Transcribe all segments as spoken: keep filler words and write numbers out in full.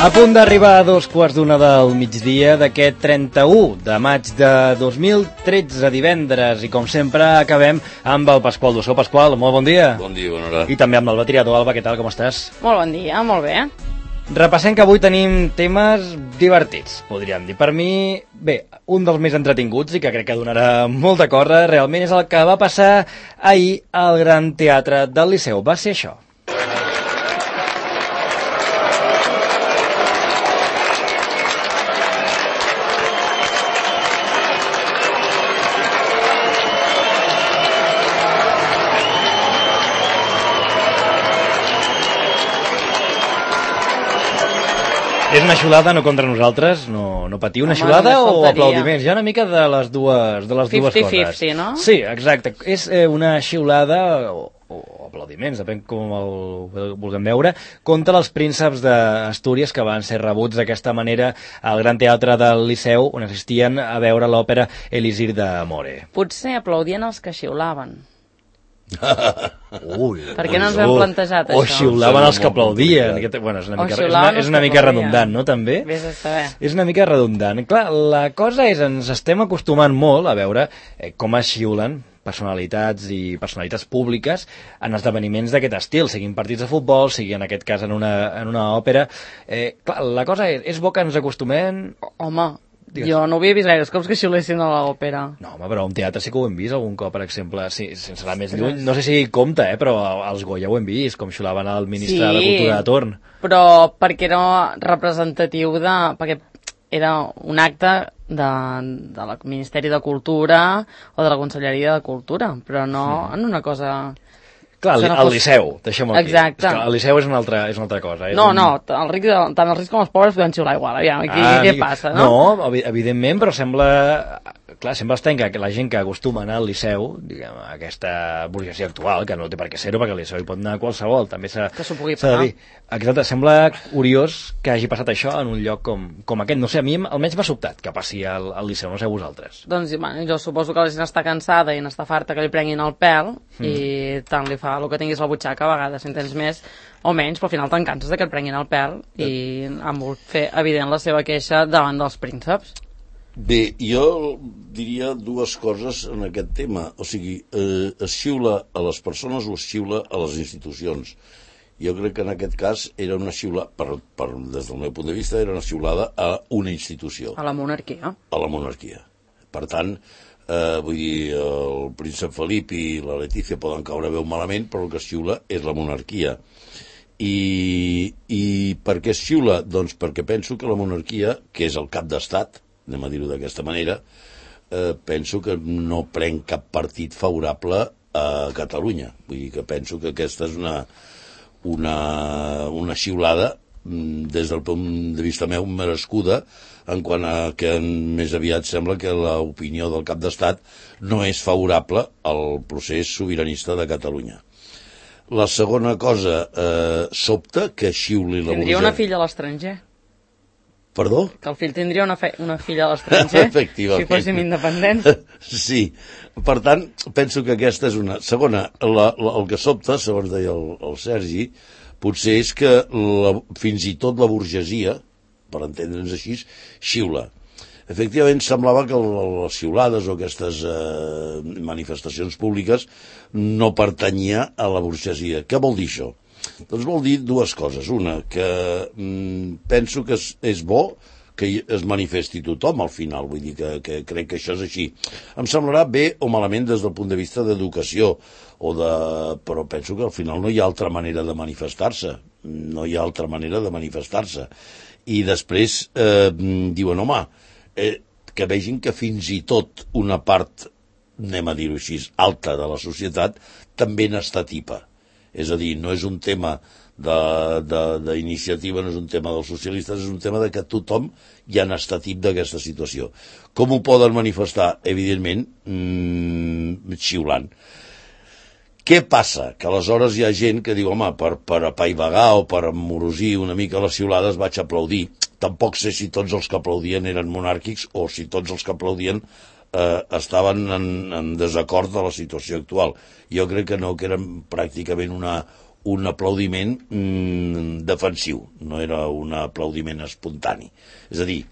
A punt d'arribar a dos quarts d'una del migdia d'aquest trenta-u de maig de dos mil tretze, divendres, i com sempre acabem amb el Pasqual Dussó. Pasqual, molt bon dia. Bon dia, bona hora. I també amb l'Alba Tirado. Alba, què tal, com estàs? Molt bon dia, molt bé. Repassem que avui tenim temes divertits, podríem dir. Per mi, bé, un dels més entretinguts i que crec que donarà molta corda, realment és el que va passar ahir al Gran Teatre del Liceu. Va ser això. És una xiulada, no contra nosaltres, no, no patiu, una Home, xiulada només o faltaria. aplaudiments? Hi ha una mica de les dues, de les dues cinquanta coses. cinquanta, no? Sí, exacte. És eh, una xiulada, o, o aplaudiments, depèn com el vulguem veure, contra els prínceps d'Astúries que van ser rebuts d'aquesta manera al Gran Teatre del Liceu, on assistien a veure l'òpera Elisir de More. Potser aplaudien els que xiulaven. Ui, Per què no ens hem plantejat o això? xiulaven els que Molt aplaudien. complicat. Bueno, és una O mica, és xiulaven una, és els una que mica aplaudien. redundant, no, també? Vés a saber. És una mica redundant. Clar, la cosa és, ens estem acostumant molt a veure eh, com es xiulen personalitats i personalitats públiques en esdeveniments d'aquest estil, siguin partits de futbol, sigui en aquest cas en una, en una òpera. Eh, clar, la cosa és, és bo que ens acostumem... Home, Digues. jo no havia vist gaires cops que xiulessin a l'òpera. No, home, però a un teatre sí que ho hem vist algun cop, per exemple, sí, sense anar més lluny. No sé si compta, eh, però als Goya ho hem vist, com xiulaven el ministre Sí. de Cultura de torn. Però perquè era representatiu de... perquè era un acte de, de la Ministeri de Cultura o de la Conselleria de Cultura, però no en una cosa... Clar, Això no al fos- Liceu, deixem-ho aquí. Exacte. És que el Liceu és una altra, és una altra cosa. És No, un... no, el ric, tant els rics com els pobres poden xiular igual, aviam, aquí, Ah, què amic- passa, no? No, evi- evidentment, però sembla... Clar, sembla estrany que la gent que acostuma a anar al Liceu, diguem, aquesta burgesia actual, que no té per què ser-ho, perquè al Liceu hi pot anar qualsevol, també s'ha Que s'ho pugui s'ha de pagar. dir. Exacte, sembla curiós que hagi passat això en un lloc com, com aquest. No sé, a mi almenys m'ha sobtat que passi al, al Liceu, no sé vosaltres. Doncs bueno, jo suposo que la gent està cansada i n'està farta que li prenguin el pèl mm. i tant li fa el que tinguis a la butxaca, a vegades si en tens més o menys, però al final te'n canses de que et prenguin el pèl i han volgut fer evident la seva queixa davant dels prínceps. Bé, jo diria dues coses en aquest tema. O sigui, eh, es xiula a les persones o es xiula a les institucions. Jo crec que en aquest cas era una xiula, per, per, des del meu punt de vista, era una xiulada a una institució, A la monarquia. a la monarquia. Per tant, eh, vull dir, el príncep Felip i la Letícia poden caure veu malament, però el que es xiula és la monarquia. I, i per què es xiula? Doncs perquè penso que la monarquia, que és el cap d'estat, anem a dir-ho d'aquesta manera, eh, penso que no prenc cap partit favorable a Catalunya. Vull dir que penso que aquesta és una, una, una xiulada mm, des del punt de vista meu merescuda, en quant a que més aviat sembla que l'opinió del cap d'estat no és favorable al procés sobiranista de Catalunya. La segona cosa, eh, sobta que xiuli la Tindria burgesia. una filla a l'estranger. Perdó? Que el fill tindria una, fe... una filla a l'estranger Efectivament. si fóssim independents. Sí, per tant, penso que aquesta és una... Segona, la, la, el que sobta, segons deia el, el Sergi, potser és que la, fins i tot la burgesia, per entendre'ns així, xiula. Efectivament, semblava que les xiulades o aquestes eh, manifestacions públiques no pertanyia a la burgesia. Què vol dir això? Doncs vol dir dues coses. Una, que mm, penso que és, és bo que es manifesti tothom al final, vull dir que, que crec que això és així. Em semblarà bé o malament des del punt de vista d'educació, o de... però penso que al final no hi ha altra manera de manifestar-se, no hi ha altra manera de manifestar-se. I després eh, diuen, home, eh, que vegin que fins i tot una part, anem a dir-ho així, alta de la societat, també n'està tipa. És a dir, no és un tema d'iniciativa, no és un tema dels socialistes, és un tema de que tothom ja n'està tip d'aquesta situació. Com ho poden manifestar? Evidentment, mmm, xiulant. Què passa? Que aleshores hi ha gent que diu, home, per, per apaivagar o per amorosir una mica les xiulades vaig aplaudir. Tampoc sé si tots els que aplaudien eren monàrquics o si tots els que aplaudien eh, estaven en, en desacord de la situació actual. Jo crec que no, que eren pràcticament una, un aplaudiment mm, defensiu, no era un aplaudiment espontani. És a dir,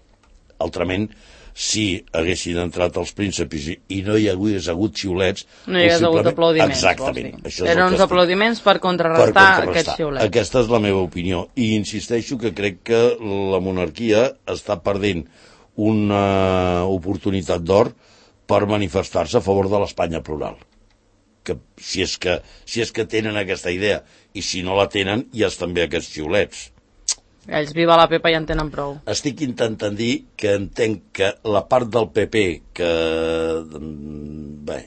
altrament, si haguessin entrat els prínceps i, i no hi hagués hagut xiulets... No hi hagués hagut aplaudiments, exactament. Això Eren uns aplaudiments per contrarrestar, per contrarrestar aquests xiulets. Aquesta és la meva opinió. I insisteixo que crec que la monarquia està perdent una oportunitat d'or per manifestar-se a favor de l'Espanya plural. Que si és que, si és que tenen aquesta idea, i si no la tenen, ja estan bé aquests xiulets. Ells viva la Pepa i en tenen prou. Estic intentant dir que entenc que la part del P P que, bé,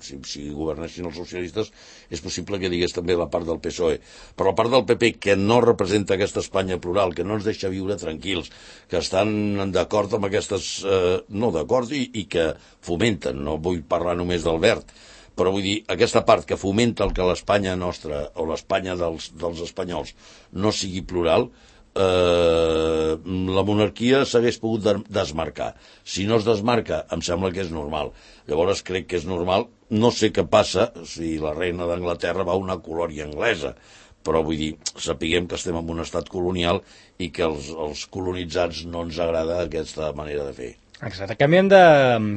si, si governessin els socialistes és possible que digués també la part del P S O E, però la part del P P que no representa aquesta Espanya plural, que no ens deixa viure tranquils, que estan d'acord amb aquestes, eh, no d'acord, i, i que fomenten, no vull parlar només del verd, però vull dir, aquesta part que fomenta el que l'Espanya nostra o l'Espanya dels, dels espanyols no sigui plural, eh, la monarquia s'hagués pogut desmarcar. Si no es desmarca, em sembla que és normal. Llavors crec que és normal. No sé què passa si la reina d'Anglaterra va a una colònia anglesa, però vull dir, sapiguem que estem en un estat colonial i que els, els colonitzats no ens agrada aquesta manera de fer. Exacte. Canviem de,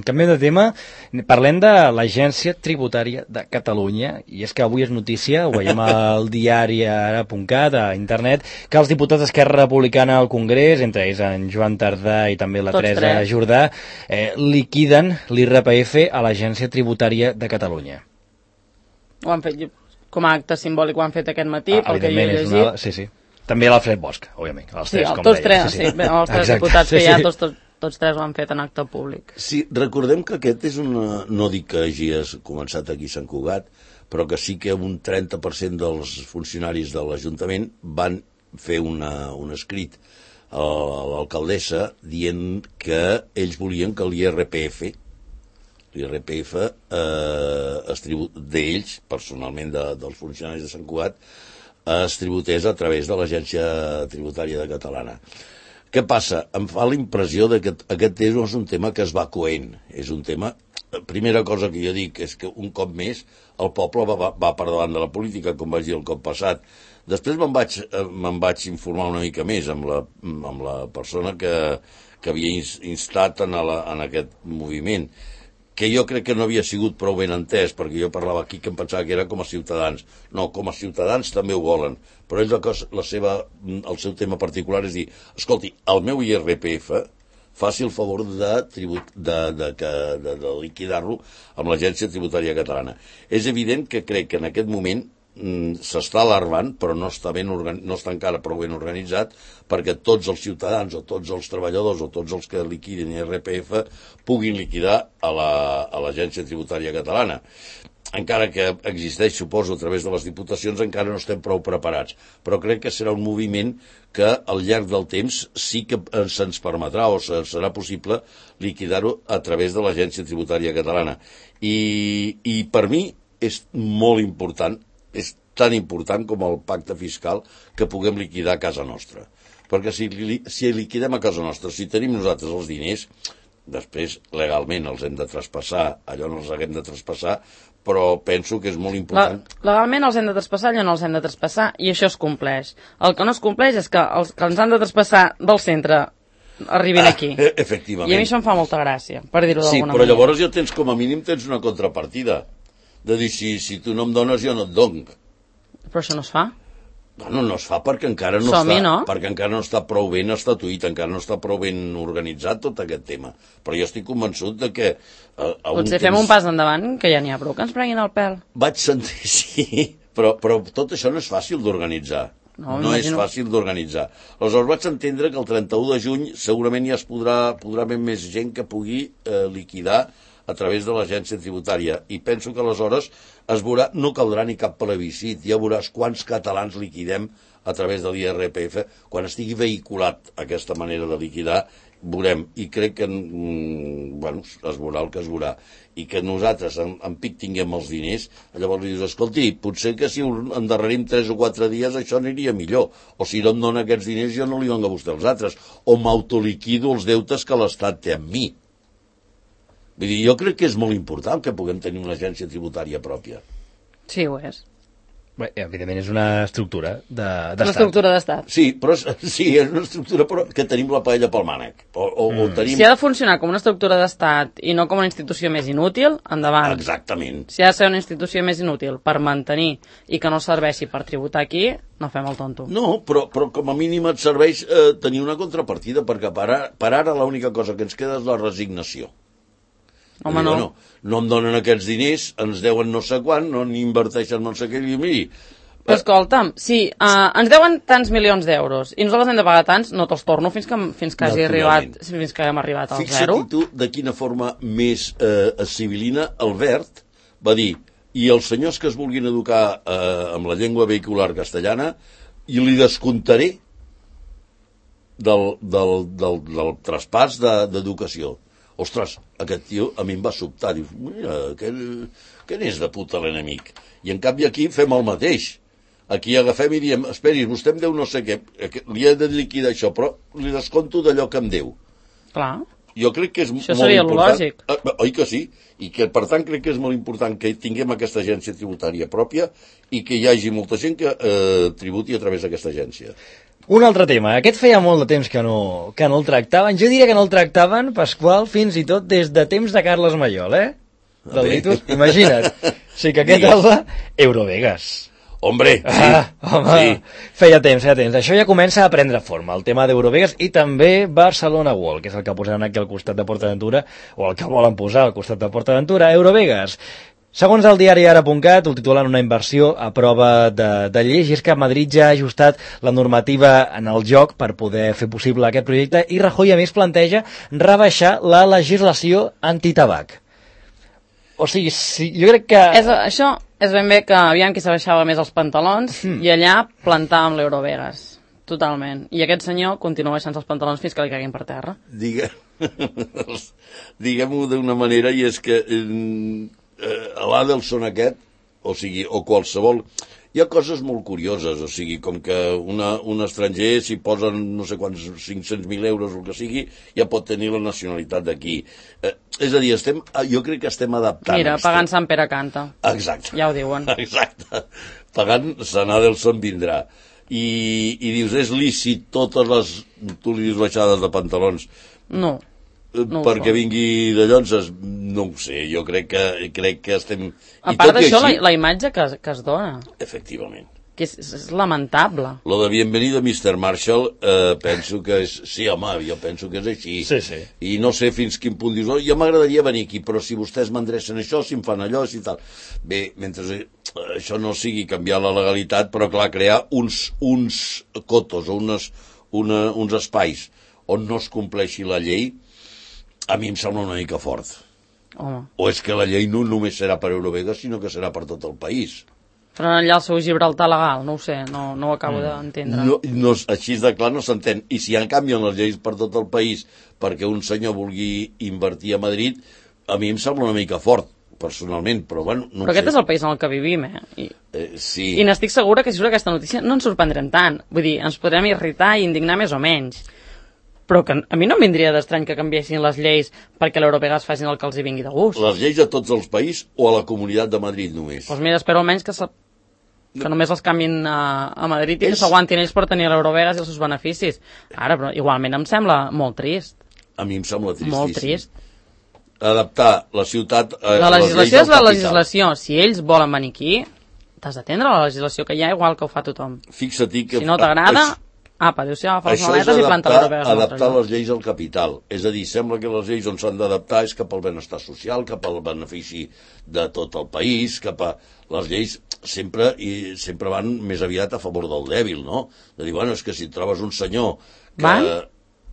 canviem de tema. Parlem de l'Agència Tributària de Catalunya, i és que avui és notícia, ho veiem al diari ara punt cat, a internet, que els diputats d'Esquerra Republicana al Congrés, entre ells en Joan Tardà i també la Tots Teresa tres. Jordà, eh, liquiden l'I R P F a l'Agència Tributària de Catalunya. Ho han fet com a acte simbòlic, ho han fet aquest matí, ah, pel que jo he llegit. Una... Sí, sí. També l'Alfred Bosch, òbviament. Els sí, tres, el, com tots deia. tres, sí, sí. sí. Els tres Exacte. Diputats sí, que hi ha, tots, tots, tots tres ho han fet en acte públic. Sí, recordem que aquest és una... No dic que hagi començat aquí a Sant Cugat, però que sí que un trenta per cent dels funcionaris de l'Ajuntament van fer una, un escrit a l'alcaldessa dient que ells volien que l'I R P F l'I R P F eh, d'ells, personalment de, dels funcionaris de Sant Cugat, es tributés a través de l'Agència Tributària de Catalana. Què passa? Em fa la impressió de que aquest tema és un tema que es va coent. És un tema... Primera cosa que jo dic és que un cop més el poble va, va per davant de la política, com vaig dir el cop passat. Després me'n vaig, me'n vaig informar una mica més amb la, amb la persona que, que havia instat en, la, en aquest moviment, que jo crec que no havia sigut prou ben entès, perquè jo parlava aquí que em pensava que era com a ciutadans. No, com a ciutadans també ho volen, però ells la cosa, la seva, el seu tema particular és dir, escolti, el meu I R P F faci el favor de, tribut, de, de, de, de, de liquidar-lo amb l'Agència Tributària Catalana. És evident que crec que en aquest moment s'està alarmant, però no està, ben organ... no està encara prou ben organitzat perquè tots els ciutadans o tots els treballadors o tots els que liquidin I R P F puguin liquidar a l'Agència la... Tributària Catalana. Encara que existeix, suposo, a través de les diputacions, encara no estem prou preparats. Però crec que serà un moviment que al llarg del temps sí que se'ns permetrà o serà possible liquidar-ho a través de l'Agència Tributària Catalana. I, i per mi és molt important, és tan important com el pacte fiscal que puguem liquidar a casa nostra. Perquè si, si liquidem a casa nostra, si tenim nosaltres els diners, després legalment els hem de traspassar, allò no els haguem de traspassar, però penso que és molt important. La, legalment els hem de traspassar, allò no els hem de traspassar, i això es compleix. El que no es compleix és que els que ens han de traspassar del centre arribin ah, aquí. Efectivament. I a mi això em fa molta gràcia, per dir-ho d'alguna manera. Sí, però llavors ja tens, com a mínim, tens una contrapartida. De dir, si, si tu no em dones, jo no et dono. Però això no es fa? Bueno, no es fa perquè encara no, està, no? perquè encara no està prou ben estatuït, encara no està prou ben organitzat tot aquest tema. Però jo estic convençut de que... A, a Potser un fem temps... un pas endavant, que ja n'hi ha prou que ens prenguin el pèl. Vaig sentir, sí, però, però tot això no és fàcil d'organitzar. No, no és fàcil d'organitzar. Aleshores vaig entendre que el trenta-u de juny segurament ja es podrà, podrà haver més gent que pugui eh, liquidar a través de l'agència tributària, i penso que aleshores es veurà, no caldrà ni cap plebiscit, ja veuràs quants catalans liquidem a través de l'I R P F, quan estigui vehiculat aquesta manera de liquidar, veurem, i crec que mm, bueno, es veurà el que es veurà, i que nosaltres en, en pic tinguem els diners, llavors li dius, escolti, potser que si endarrerim tres o quatre dies això aniria millor, o si no em dona aquests diners jo no li dono a vostè els altres, o m'autoliquido els deutes que l'Estat té amb mi. Vull dir, jo crec que és molt important que puguem tenir una agència tributària pròpia. Sí, ho és. Bé, evidentment és una estructura de, Una estructura d'estat. Sí, però és, sí, és una estructura però que tenim la paella pel mànec. O, o, mm. o tenim... Si ha de funcionar com una estructura d'estat i no com una institució més inútil, endavant. Exactament. Si ha de ser una institució més inútil per mantenir i que no serveixi per tributar aquí, no fem el tonto. No, però, però com a mínim et serveix eh, tenir una contrapartida, perquè per ara, per ara l'única cosa que ens queda és la resignació. Home, dir, no. Bueno, no em donen aquests diners, ens deuen no sé quan, no n'hi inverteixen no sé què, i miri... Però escolta'm, sí, uh, ens deuen tants milions d'euros i nosaltres hem de pagar tants, no te'ls torno fins que, fins que hagi arribat, fins que hem arribat al Fixa't zero. Fixa't tu de quina forma més eh, civilina Albert va dir, i els senyors que es vulguin educar eh, amb la llengua vehicular castellana, i li descomptaré del, del, del, del traspàs d'educació. Ostres, aquest tio a mi em va sobtar. Dius, mira, que, que n'és de puta l'enemic. I en canvi aquí fem el mateix. Aquí agafem i diem, esperi, vostè em deu no sé què, li he de liquidar això, però li desconto d'allò que em deu. Clar. Jo crec que és això molt seria important. Lògic. Eh, oi que sí? I que, per tant, crec que és molt important que tinguem aquesta agència tributària pròpia i que hi hagi molta gent que eh, tributi a través d'aquesta agència. Un altre tema, aquest feia molt de temps que no, que no el tractaven, jo diria que no el tractaven, Pasqual, fins i tot des de temps de Carles Maiol, eh? Del Litus, imagina't. Sí que aquest és Eurovegas. Hombre, sí. Ah, home, sí. Feia temps, feia temps. Això ja comença a prendre forma, el tema d'Eurovegas i també Barcelona World, que és el que posaran aquí al costat de PortAventura, o el que volen posar al costat de PortAventura, Eurovegas. Segons el diari ara punt cat, ho titulen una inversió a prova de, de llei, i és que Madrid ja ha ajustat la normativa en el joc per poder fer possible aquest projecte i Rajoy a més planteja rebaixar la legislació antitabac. O sigui, sí, jo crec que... És, això és ben bé que aviam qui s'abaixava més els pantalons mm. i allà plantàvem l'Eurovegas. Totalment. I aquest senyor continua baixant els pantalons fins que li caiguin per terra. Digue... Diguem-ho d'una manera, i és que... Eh... a l'Adelson aquest, o sigui, o qualsevol, hi ha coses molt curioses, o sigui, com que una, un estranger, si posen no sé quants, cinc-cents mil euros o el que sigui, ja pot tenir la nacionalitat d'aquí. Eh, és a dir, estem, jo crec que estem adaptant. Mira, pagant Sant Pere canta. Exacte. Ja ho diuen. Exacte. Pagant Sant Adelson vindrà. I, i dius, és lícit totes les, tu li dius baixades de pantalons? No. No perquè vingui de llonses, no ho sé, jo crec que, crec que estem... A part d'això, així... la, la imatge que, que es dona. Efectivament. Que és, és lamentable. Lo de Bienvenido mister Marshall, eh, penso que és... Sí, home, jo penso que és així. Sí, sí. I no sé fins quin punt dius, oh, jo m'agradaria venir aquí, però si vostès m'endrecen això, si em fan allò, si tal... Bé, mentre això no sigui canviar la legalitat, però clar, crear uns, uns cotos o unes, una, uns espais on no es compleixi la llei, a mi em sembla una mica fort. Home. O és que la llei no només serà per Eurovegas, sinó que serà per tot el país. Però allà el seu Gibraltar legal, no ho sé, no, no ho acabo mm. d'entendre. No, no, així de clar no s'entén. I si en canvien les lleis per tot el país perquè un senyor vulgui invertir a Madrid, a mi em sembla una mica fort, personalment, però bueno, no però aquest sé. És el país en el que vivim, eh? I, eh sí. I n'estic segura que si surt aquesta notícia no ens sorprendrem tant. Vull dir, ens podrem irritar i indignar més o menys. Però que a mi no em vindria d'estrany que canviessin les lleis perquè l'Eurovegas facin el que els hi vingui de gust. Les lleis a tots els països o a la Comunitat de Madrid només? Doncs mira, espero almenys que, se... que només els canvin a, a Madrid i és... que s'aguantin ells per tenir l'Eurovegas i els seus beneficis. Ara, però igualment em sembla molt trist. A mi em sembla tristíssim. Molt trist. Adaptar la ciutat a la legislació és la legislació. Si ells volen venir aquí, t'has d'atendre la legislació que hi ha, igual que ho fa tothom. Fixa't que... Si no t'agrada... Apa, adéu-siau, agafa les maletes i planta l'Eurovegas. Això és adaptar les lleis al capital. És a dir, sembla que les lleis on s'han d'adaptar és cap al benestar social, cap al benefici de tot el país, cap a... Les lleis sempre i sempre van més aviat a favor del dèbil, no? De dir, bueno, és que si trobes un senyor que... Van?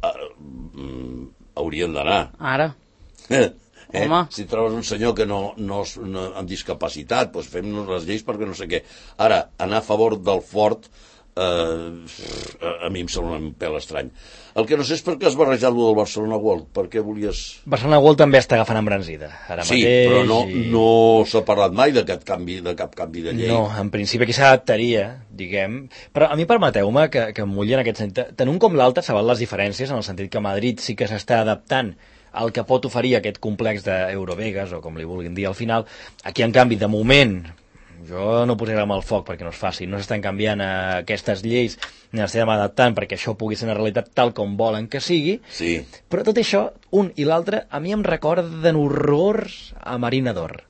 Uh, haurien d'anar. Ara. Eh? Home. Si trobes un senyor que no, no, no amb discapacitat, doncs fem-nos les lleis perquè no sé què. Ara, anar a favor del fort... Uh, a mi em sembla un pèl estrany. El que no sé és per què has barrejat lo del Barcelona World. Per què volies... Barcelona World també està agafant embranzida ara sí, mateix. Però no, i... no s'ha parlat mai de cap canvi de, cap canvi de llei. No, en principi aquí s'adaptaria, diguem. Però a mi permeteu-me que, que em mulli en aquest sentit. Tant un com l'altre saben les diferències, en el sentit que Madrid sí que s'està adaptant al que pot oferir aquest complex d'Eurovegas, o com li vulguin dir al final. Aquí, en canvi, de moment... jo no posaré amb el foc perquè no es faci, no s'estan canviant eh, aquestes lleis ni les estem adaptant perquè això pugui ser una realitat tal com volen que sigui, Sí. però tot això, un i l'altre, a mi em recorden horrors a Marina d'Or.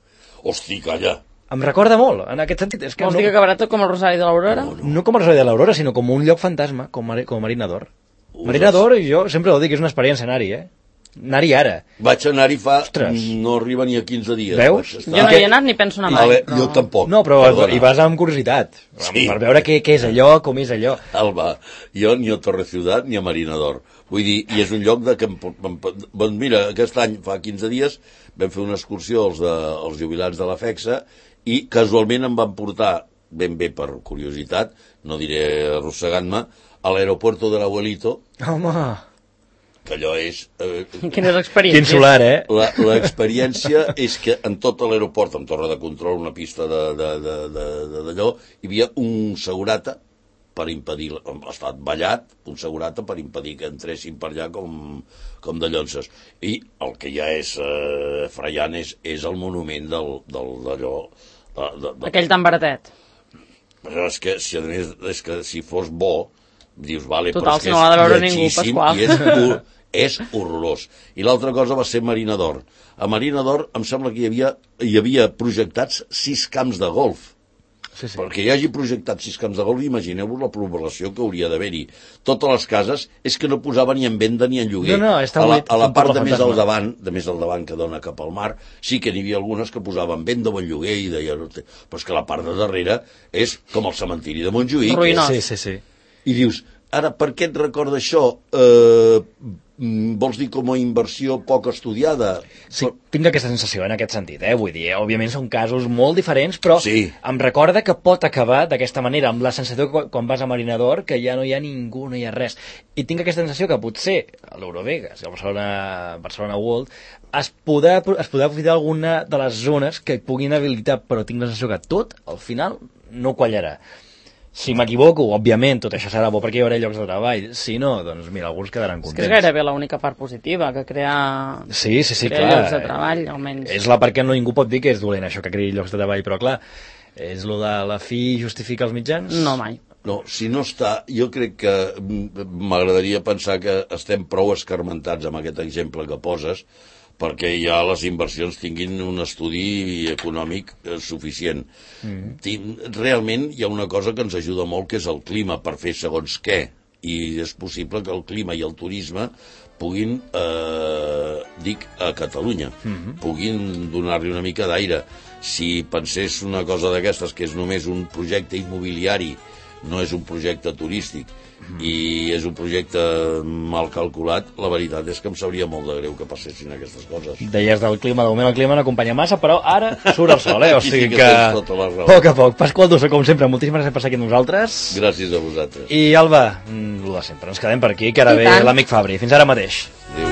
Hosti, calla. Em recorda molt, en aquest sentit. És que Vols no, dir que acabarà tot com el Rosari de l'Aurora? No, no com el Rosari de l'Aurora, sinó com un lloc fantasma, com, Mari- com Marina d'Or. Us Marina has- d'Or, jo sempre ho dic, és una experiència anar-hi, eh? Anar-hi ara. Vaig anar-hi fa... Ostres. No arriba ni a quinze dies. Veus? Vaig Jo estar. no hi he anat ni penso anar A mai. veure, jo tampoc. No, però Perdona. hi vas amb curiositat, Sí. per veure què, què és allò, com és allò. Alba, jo ni a Torre Ciutat ni a Marina d'Or. Vull dir, i és un lloc de que... Em, em, doncs mira, aquest any, fa quinze dies, vam fer una excursió als, de, als jubilats de la FEXA i casualment em van portar, ben bé per curiositat, no diré arrossegant-me, a l'aeropuerto de l'Abuelito, Home, que allò és... Eh, Quines experiències. quin solar, eh? la- L'experiència és que en tot l'aeroport, amb torre de control, una pista de- de- de- de- de- d'allò, hi havia un segurata per impedir, ha estat ballat, un segurata per impedir que entressin per allà com, com de llonces. I el que ja és eh, fraiant és, és el monument del, del, d'allò... De, de, de, Aquell tan baratet. però és que, si, a més, és que si fos bo, dius, vale, Total, però és si que no l'ha de és veure ningú, lletgíssim Pasqual. i és, hor- és horrorós. I l'altra cosa va ser Marina d'Or. A Marina d'Or em sembla que hi havia, hi havia projectats sis camps de golf. Sí, sí. Perquè hi hagi projectat sis camps de golf, imagineu-vos la població que hauria d'haver-hi. Totes les cases és que no posaven ni en venda ni en lloguer. No, no, està a la, buit, a la com part tot de el més al fantasma. davant, de més al davant que dona cap al mar, sí que n'hi havia algunes que posaven venda o en lloguer i deien, però és que la part de darrere és com el cementiri de Montjuïc. Ruïnós. Sí, sí, sí. I dius, ara, per què et recorda això? Eh, mm, vols dir com a inversió poc estudiada? Sí, tinc aquesta sensació en aquest sentit, eh? Vull dir, eh, òbviament són casos molt diferents, però Sí. em recorda que pot acabar d'aquesta manera, amb la sensació que quan vas a Marina d'Or, que ja no hi ha ningú, no hi ha res. I tinc aquesta sensació que potser a l'Eurovegas, a Barcelona, Barcelona World, es podrà, es podrà aprofitar alguna de les zones que puguin habilitar, però tinc la sensació que tot, al final, no quallarà. Si m'equivoco, òbviament, tot això serà bo perquè hi haurà llocs de treball. Si no, doncs mira, alguns quedaran És que contents. és gairebé l'única part positiva, que crea, Sí, sí, sí, crea clar. llocs de treball, almenys. És la part que no ningú pot dir que és dolent, això, que creï llocs de treball, però clar, és lo de la fi justifica els mitjans? No, mai. No, si no està, jo crec que mm, m'agradaria pensar que estem prou escarmentats amb aquest exemple que poses perquè ja les inversions tinguin un estudi econòmic eh, suficient. Mm. Realment hi ha una cosa que ens ajuda molt, que és el clima, per fer segons què. I és possible que el clima i el turisme puguin, eh, dic, a Catalunya, mm-hmm. puguin donar-li una mica d'aire. Si pensés una cosa d'aquestes, que és només un projecte immobiliari, no és un projecte turístic, i és un projecte mal calculat, la veritat és que em sabria molt de greu que passessin aquestes coses. Deies del clima, de moment el clima no acompanya massa, però ara surt el sol, eh? O Aquí sí sigui que que, tens tota la raó. a poc a poc. Pasqual Dussó, com sempre, moltíssimes gràcies per estar aquí amb nosaltres. Gràcies a vosaltres. I Alba, mm, lo de sempre, ens quedem per aquí, que ara I ve tant. l'amic Fabri. Fins ara mateix. Adéu.